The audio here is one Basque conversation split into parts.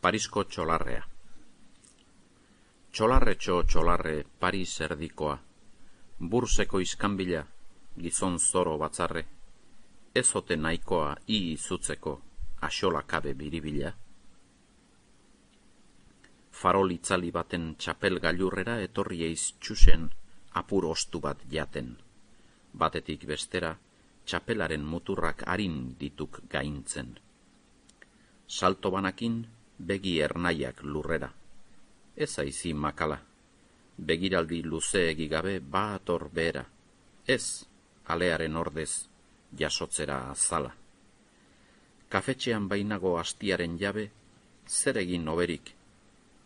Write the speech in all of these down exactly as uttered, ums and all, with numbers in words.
Parisko txolarrea. Txolarretxo txolarre Paris erdikoa, burseko iskanbila, gizon zoro batzarre, ezote nahikoa i izutzeko, axola kabe biribila. Farol itzali baten txapel gailurrera etorri eiz txusen apur ostu bat jaten. Batetik bestera, txapelaren muturrak harin dituk gaintzen. Salto banakin, begi ernaiak lurrera. Ez aizi makala, begiraldi luzeegi gabe baator behera. Ez, alearen ordez, jasotzera azala. Kafetxean bainago astiaren jabe, zer egin oberik,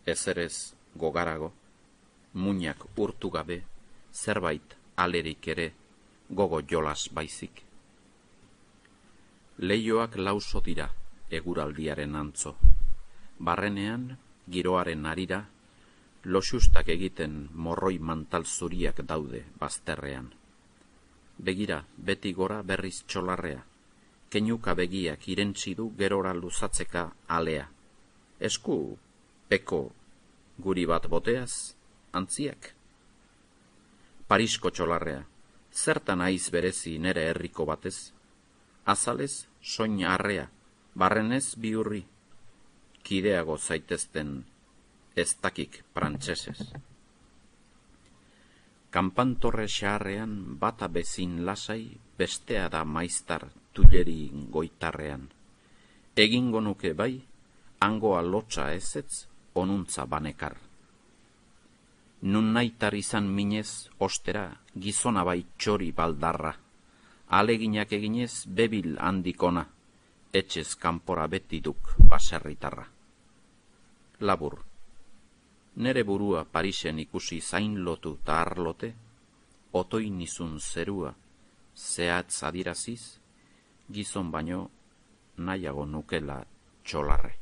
ezerez gogarago, muinak urtu gabe, zerbait alerik ere, gogo jolas baizik. Leioak lauso dira, eguraldiaren antzo. Barrenean, giroaren arira, loxustak egiten morroi mantal zuriak daude bazterrean. Begira, beti gora berriz txolarrea, keinuka begiak irentzi du gerora luzatzeka alea. Esku, peko, guri bat boteaz, antziak. Parisko txolarrea, zertan aiz berezi nere herriko batez? Azalez, soin arrea, barrenez biurri, kideago zaitezten ez dakik prantsesez. Kanpantorre xaharrean bata bezin lasai, bestea da maiztar tuleri goitarrean. Egingo nuke bai, hangoa lotxa ezetz, onuntza banekar. Nun naitar izan minez, ostera, gizona bai txori baldarra. Aleginak eginez bebil handikona, etxez kanpora beti duk baserritarra. Labur, nere burua Parisen ikusi zain lotu ta arlote, otoin izun zerua, zehatz adiraziz, gizon baino nahiago nukela txolarre.